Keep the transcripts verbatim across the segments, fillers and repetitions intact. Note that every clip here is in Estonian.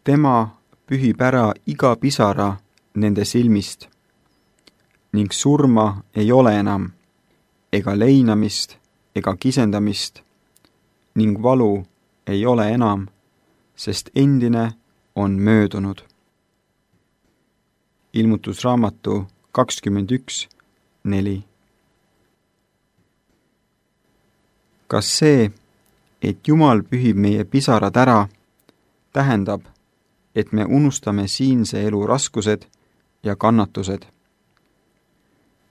Tema pühib ära iga pisara nende silmist ning surma ei ole enam, ega leinamist, ega kisendamist ning valu ei ole enam, sest endine on möödunud. Ilmutusraamatu kakskümmend üks neli. Kas see, et Jumal pühib meie pisarad ära, tähendab, et me unustame siinse elu raskused ja kannatused?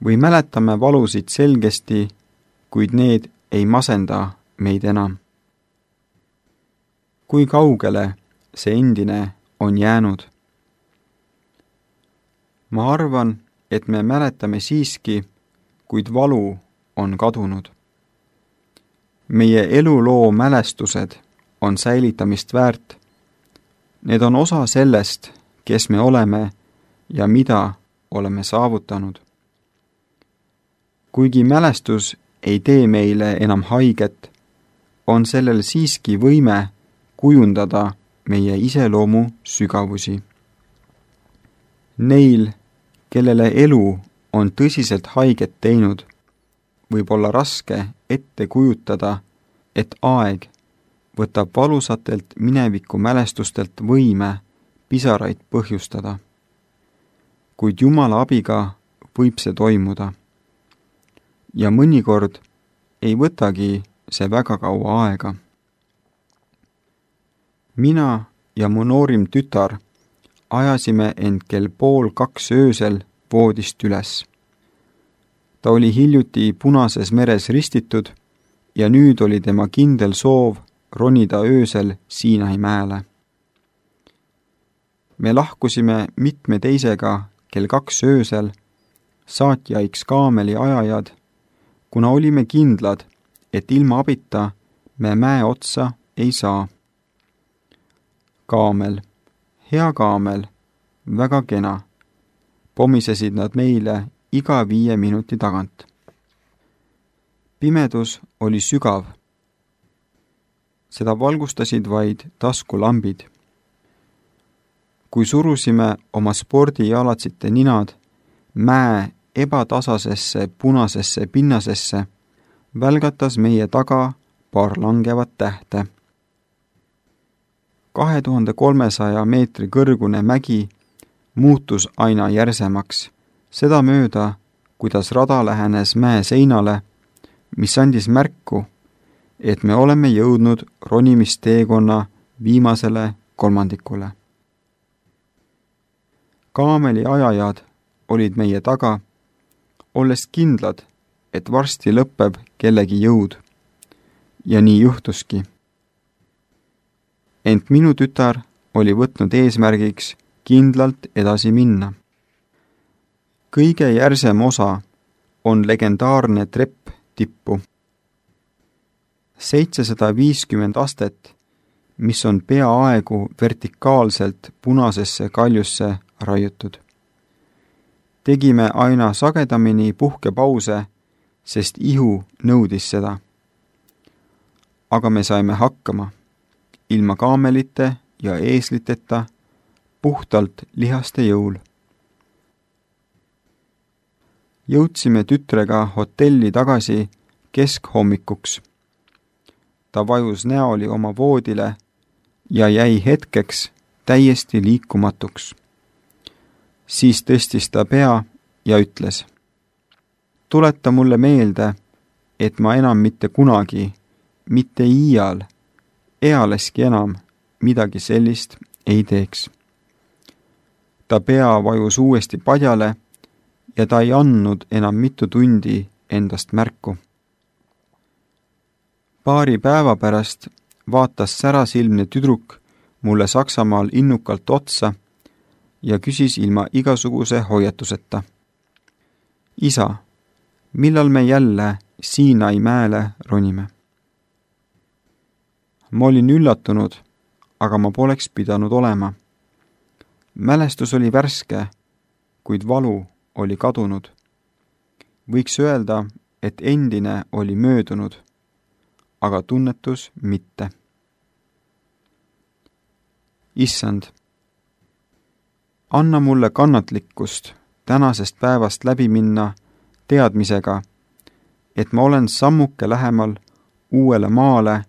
Või mäletame valusid selgesti, kuid need ei masenda meid enam? Kui kaugele see endine on jäänud? Ma arvan, et me mäletame siiski, kuid valu on kadunud. Meie eluloo mälestused on säilitamist väärt. Need on osa sellest, kes me oleme ja mida oleme saavutanud. Kuigi mälestus ei tee meile enam haiget, on sellel siiski võime kujundada meie iseloomu sügavusi. Neil, kellele elu on tõsiselt haiget teinud, võib olla raske ette kujutada, et aeg võtab valusatelt mineviku mälestustelt võime pisaraid põhjustada. Kuid Jumala abiga võib see toimuda. Ja mõnikord ei võtagi see väga kaua aega. Mina ja mu noorim tütar ajasime end kell pool kaks öösel voodist üles. Ta oli hiljuti Punases meres ristitud ja nüüd oli tema kindel soov ronida öösel Siinai mäele. Me lahkusime mitme teisega kell kaks öösel, saatjaiks kaameli ajajad, kuna olime kindlad, et ilma abita me mäe otsa ei saa. Kaamel, hea kaamel, väga kena, pomisesid nad meile iga viie minuti tagant. Pimedus oli sügav. Seda valgustasid vaid taskulambid. Kui surusime oma spordijalatsite ninad mäe ebatasasesse punasesse pinnasesse, välgatas meie taga paar langevat tähte. kahe tuhande kolmesaja meetri kõrgune mägi muutus aina järsemaks, seda mööda, kuidas rada lähenes mäe seinale, mis andis märku, et me oleme jõudnud ronimisteekonna viimasele kolmandikule. Kaameli ajajad olid meie taga, olles kindlad, et varsti lõpeb kellegi jõud. Ja nii juhtuski. Ent minu tütar oli võtnud eesmärgiks kindlalt edasi minna. Kõige järsem osa on legendaarne trepp tippu. seitsesada viiskümmend astet, mis on peaaegu vertikaalselt punasesse kaljusse raiutud. Tegime aina sagedamini puhkepause, sest ihu nõudis seda. Aga me saime hakkama, ilma kaamelite ja eesliteta, puhtalt lihaste jõul. Jõudsime tütrega hotelli tagasi keskhommikuks. Ta vajus näoli oma voodile ja jäi hetkeks täiesti liikumatuks. Siis tõstis ta pea ja ütles: tuleta mulle meelde, et ma enam mitte kunagi, mitte iial, ealeski enam midagi sellist ei teeks. Ta pea vajus uuesti padjale ja ta ei andnud enam mitu tundi endast märku. Paari päeva pärast vaatas särasilmne tüdruk mulle Saksamaal innukalt otsa ja küsis ilma igasuguse hoiatuseta: isa, millal me jälle Siinai mäele ronime? Ma olin üllatunud, aga ma poleks pidanud olema. Mälestus oli värske, kuid valu oli kadunud. Võiks öelda, et endine oli möödunud, aga tunnetus mitte. Issand, anna mulle kannatlikkust tänasest päevast läbi minna teadmisega, et ma olen sammuke lähemal uuele maale,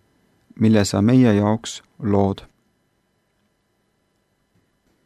mille sa meie jaoks lood.